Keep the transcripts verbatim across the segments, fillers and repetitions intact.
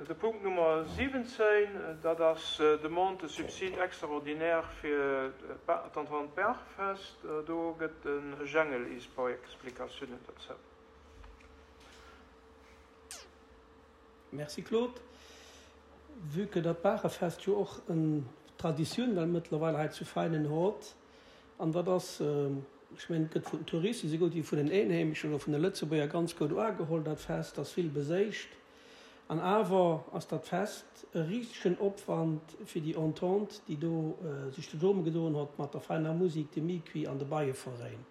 De Punkt Nummer siwwenzéin, dat ass Demande de subside extraordinaire fir d'Entente Bergfest. Do gëtt de Jengel is paar Explikatiounen dozou. Merci Claude. Vue que dat Baachefest jo och en Traditioun well mëttlerweil hei zu Veinen hot, an dat ass, ech mengen, et gëtt vun den Touristen esou gutt wéi vun den Eenheemeschen oder vun de Lëtzebuerger ganz gutt uageholl, dat Fest ass vill beséicht. An awer ass dat Fest e risegen Opwand fir déi Entente, déi do sech zesumme gedoen hott mat der Veiner Musik, dem Miqui an de Beieveräin.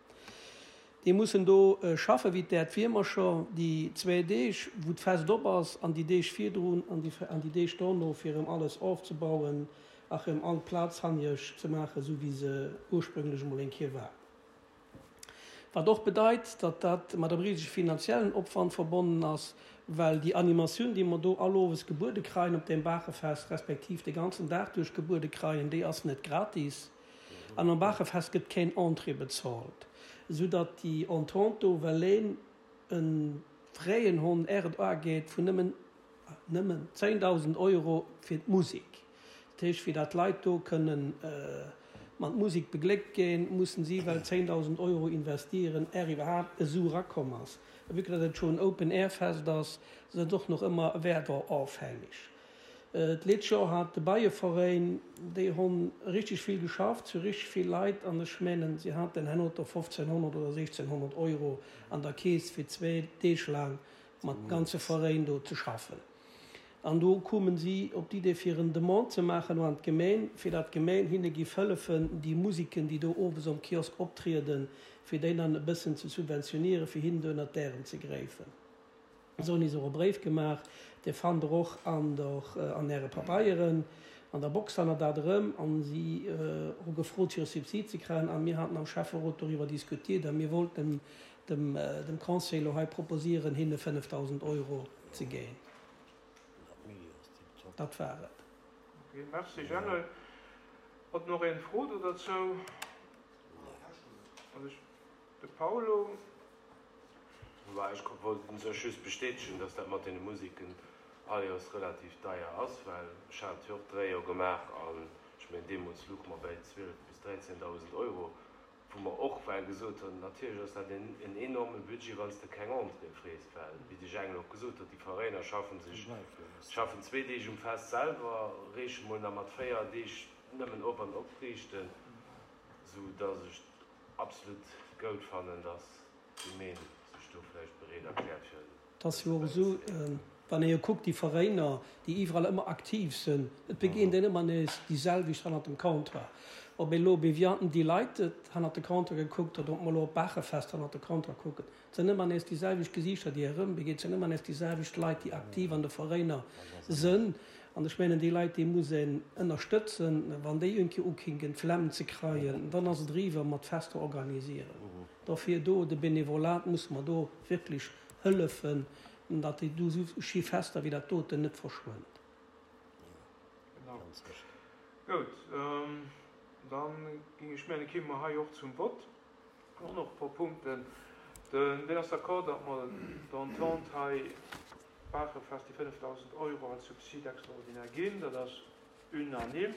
Déi mussen do schaffe wéi d'Äerdwiermercher déi zwee Deeg, wou d'Fest op ass, an déi Deeg virdrun an déi Deeg dono, fir erëm alles ofzebauen a rëm all d'Plaz hanniech ze maachen, esou wéi se ursprünglech emol eng Kéier war. Wat och bedeit, datt dat mat engem risege finanziellen Opwand verbonnen ass, well déi Animatioun, déi mer do all owes gebuede kreien op deem Baachefest, respektiv de ganzen Dag duerch gebuede kreien, déi ass net gratis. An am Baachefest gëtt keen Entrée bezolt, esou datt déi Entente do, well een e fräien Hond är et ageet, vun nëmmen, nëmmen zéngdausend Euro fir d'Musek, dat heescht fir datt d'Leit do kënnen mat Musek begléckt ginn, mussen si well zéngdausend Euro investieren, är iwwerhaapt e Su erakomm ass. A vue que datt et scho en Open-Air-Fest ass, ass et och nach ëmmer werderofhängeg. D'lescht Joer hat de Beieveräin, déi hunn richteg vill geschafft, si hu richteg vill Leit an ech mengen, si haten herno do fofzénhonnert oder siechzénhonnert Euro an der Keess fir zwee Deeg laang mat dem ganze Veräin do ze schaffen. An do koumen si op d'Idee fir en Demande ze maachen un d'Gemeng, fir dat d'Gemeng hinne giff hëllefen déi Musiken, déi do owes am Kiosk optrieden, fir déi dann e bëssen ze subventionieren, fir hinnen do ënnert d'Ärem ze gräifen. Se hunn is och e Bréif gemaach, dee fannt der och an der, an äre Pabeieren, an der Box fannt der dat erëm. An si hu gefrot fir e Subsid ze kréien a mir haten am Schäfferot doriwwer diskutiert a mir wollten dem, dem Conseil elo hei proposieren hinne fënnefdausend Euro ze ginn. Dat war et. Ok, merci Jangel. Huet nach een Fro do derzou? Also ech, de Paulo. Bah, ech wollt u sech just bestätegen, dass dat mat deene Musiken all Joers relativ deier ass, well ech hat jo och dräi Joer gemaach an ech mengen deemools louche mer bäi zwielef bis dräizéndausend Euro. Wou mer och well gesot hunn, natierlech ass dat en enorme Budget, wann s de keng Entrée frees, well, wéi de Jengel och gesot huet, déi Veräiner schaffen sech, schaffen zwee Deeg um Fest selwer, reeche mol nach mat véier Deeg nëmmen op an opriichten, sou dass ech et absolut goud fannen, dass d'Gemeen sech do vläicht bereet erkläert fir Et ass jo och esou, wann ee jo kuckt, déi Veräiner, déi iwwerall ëmmer aktiv sinn, et begéint een ëmmer nees déi selwecht hannert dem Comptoir. Ob ee elo op Evian Delighted hannert de Comptoir gekuckt huet, ob mer elo op Baachefest hannert de Comptoir kucken, et sinn ëmmer nees déi selwecht Gesiichter, déi ee erëmbegéint, et sinn ëmmer nees déi selwecht Leit, déi aktiv an de Veräiner sinn. An ech mengen, déi Leit, déi muss een ënnerstëtzen. Wann déi eng Kéier ukinken, d'Flemm ze kreien, dann ass et eriwwer mat Fester organisieren. Dofir do de Benevolat musse mer do wierklech hëllefen, datt déi do esou schéi Fester wéi dat doten net verschwënnt. Genau. Goud, dann géing ech mengen, kéime mer hei och zum Vott. Mir hunn och e puer Punkten. Den, wien ass d'accord, datt mer der Entente hei Baachefest déi fënnefdausend Euro als Subside extraordinaire ginn? Dat ass unanime.